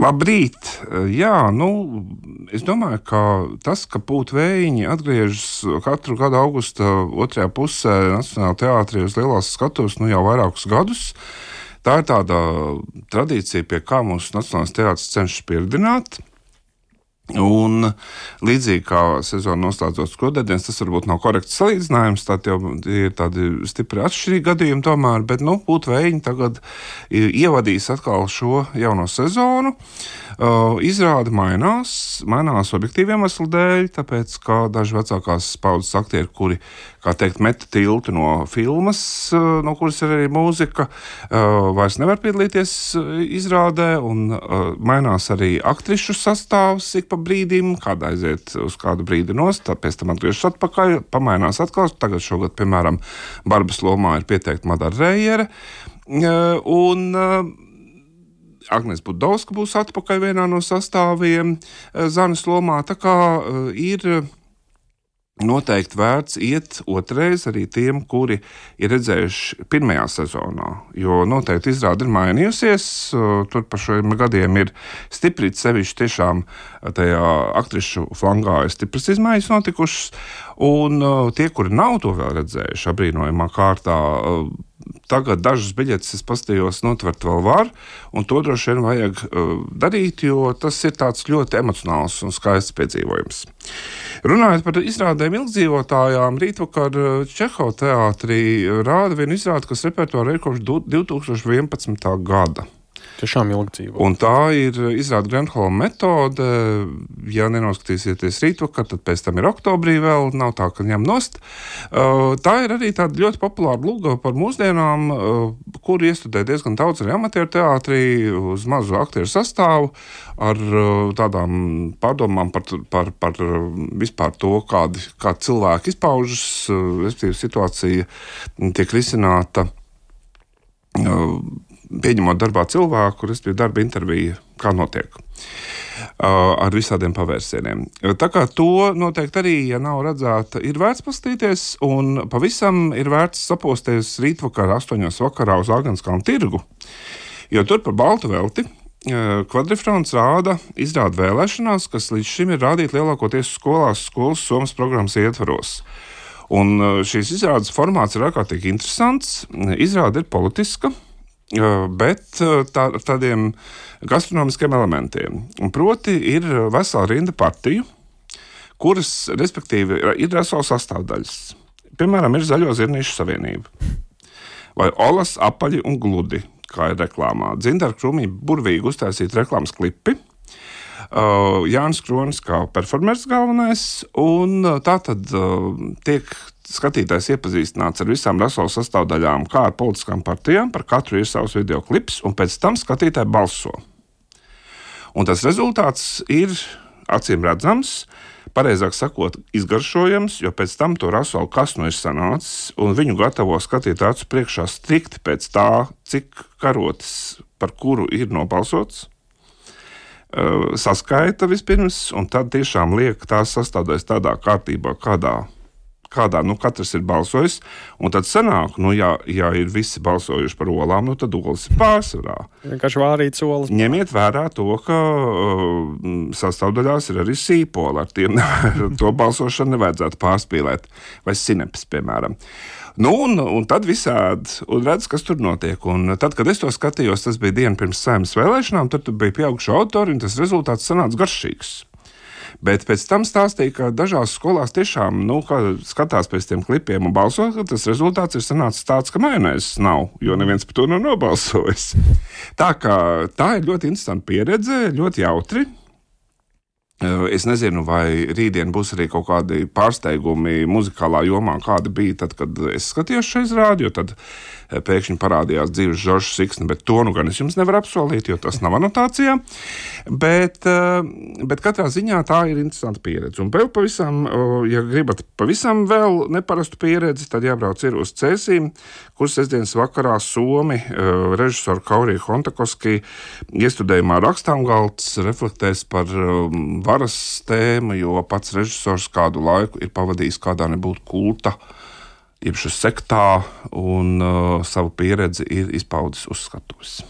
Labrīt! Jā, es domāju, ka tas, ka Pūta vējiņi atgriežas katru gadu augusta otrajā pusē Nacionālajā teātrī uz lielās skatuves jau vairākus gadus, tā ir tāda tradīcija, pie kā mūsu Nacionālais teātris cenšas pieredināt. Un līdzīgi kā sezona noslēdzot Skudēdienas, tas varbūt nav korekts salīdzinājums, tad jau ir tādi stipri atšķirīgi gadījumi tomēr, bet Pūta vējiņi tagad ievadīs atkal šo jauno sezonu. Izrāde mainās objektīviem iemeslu dēļ, tāpēc, ka daži vecākās paudzes aktieri, kuri, kā teikt, meta tiltu no filmas, no kuras ir arī mūzika, vairs nevar piedalīties izrādē, un mainās arī aktrišu sastāvs ik pa brīdim, kāda aiziet uz kādu brīdi nost, pēc tam atgriežas atpakaļ, pamainās atkal. Tagad šogad, piemēram, Barbas lomā ir pieteikta Madara Reiere, un Agnese Budovska būs atpakaļ vienā no sastāviem Zanes lomā, tā kā ir noteikti vērts iet otrais arī tiem, kuri ir redzējuši pirmajā sezonā, jo noteikti izrāde ir mainījusies, tur pa šiem gadiem ir stiprīt sevišķi tiešām tajā aktrišu flangā ir stipras izmaiņas notikušas, un tie, kuri nav to vēl redzējuši abrīnojamā kārtā, tagad dažas biļetes es paskatījos notvert vēl var, un to droši vien vajag darīt, jo tas ir tāds ļoti emocionāls un skaists piedzīvojums. Runājot par izrādēm ilgdzīvotājām, rītvakar Čehova teātrī rāda vienu izrādi, kas repertuārā ir kopš 2011. gada. Tiešām ilgi dzīvo. Un tā ir izrāda Grenholma metode. Ja nenoskatīsieties rītvakar, tad pēc tam ir oktobrī vēl, nav tā, ka ņem nost. Tā ir arī tāda ļoti populāra luga par mūsdienām, kur iestudē diezgan daudz arī amatieru teātrī uz mazu aktieru sastāvu ar tādām pārdomām par vispār to, kā cilvēki izpaužas, respektīvi situācija tiek risināta pieņemot darbā cilvēku, respektīvi darba intervija, kā notiek, ar visādiem pavērsieniem. Tā kā to noteikti arī, ja nav redzēta, ir vērts paskatīties, un pavisam ir vērts saposties rītvakar 8 vakarā uz Āgenskalna tirgu, jo tur par baltu velti Kvadrifrons rāda izrādi vēlēšanās, kas līdz šim ir rādīta lielākoties skolas somas programmas ietvaros. Un šīs izrādes formāts ir ārkārtīgi interesants, izrāde ir politiska, bet ar tādiem gastronomiskiem elementiem. Un proti ir vesela rinda partiju, kuras, respektīvi, ir vesela sastāvdaļas. Piemēram, ir Zaļo zirnīšu savienība, vai Olas, apaļi un gludi, kā ir reklāmā. Dzintara Krumī burvīgi uztaisīt reklāmas klipi, Jānis Kronis kā performers galvenais, un tā tad tiek skatītājs iepazīstināts ar visām rasolas sastāvdaļām, kā ar politiskām partijām, par katru ir savs videoklips, un pēc tam skatītāji balso. Un tas rezultāts ir acīm redzams, pareizāk sakot, izgaršojams, jo pēc tam to rasolu kas ir sanācis, un viņu gatavo skatīt acu priekšā strikti pēc tā, cik karotes par kuru ir nobalsots, saskaita vispirms, un tad tiešām liek tās sastāvdaļas tādā kārtībā, kādā katrs ir balsojis, un tad sanāk, ja ir visi balsojuši par olām, tad olas ir pārsvarā. Vienkārši vārīts olas. Ņemiet vērā to, ka sastāvdaļās ir arī sīpola, ar tiem to balsošanu nevajadzētu pārspīlēt, vai sinepes, piemēram. Un tad visādi, un redz, kas tur notiek. Un tad, kad es to skatījos, tas bija diena pirms Saeimas vēlēšanām, tur bija pieauguši autori, un tas rezultāts sanāca garšīgs. Bet pēc tam stāstīja, ka dažās skolās tiešām, kad skatās pēc tiem klipiem un balso, ka tas rezultāts ir sanācis tāds, ka majonēzes nav, jo neviens par to nav nobalsojis. Tā ir ļoti interesanta pieredze, ļoti jautri. Es nezinu, vai rītdien būs arī kaut kādi pārsteigumi muzikālā jomā, kādi bija tad, kad es skatījos šo izrādi, jo tad pēkšņi parādījās dzīves Žoržs Siksni, bet to gan es jums nevaru apsolīt, jo tas nav anotācijā. Bet katrā ziņā tā ir interesanta pieredze. Un vēl pavisam, ja gribat pavisam vēl neparastu pieredzi, tad jābrauc ir uz Cēsīm, kur sestdienas vakarā Somi režisoru Kauriju Hontakoski iestudējumā Rakstāmgalds reflektēs par varas tēmu, jo pats režisors kādu laiku ir pavadījis kādā nebūtu kulta, jeb sektā, un savu pieredzi ir izpaudis uz skatuves.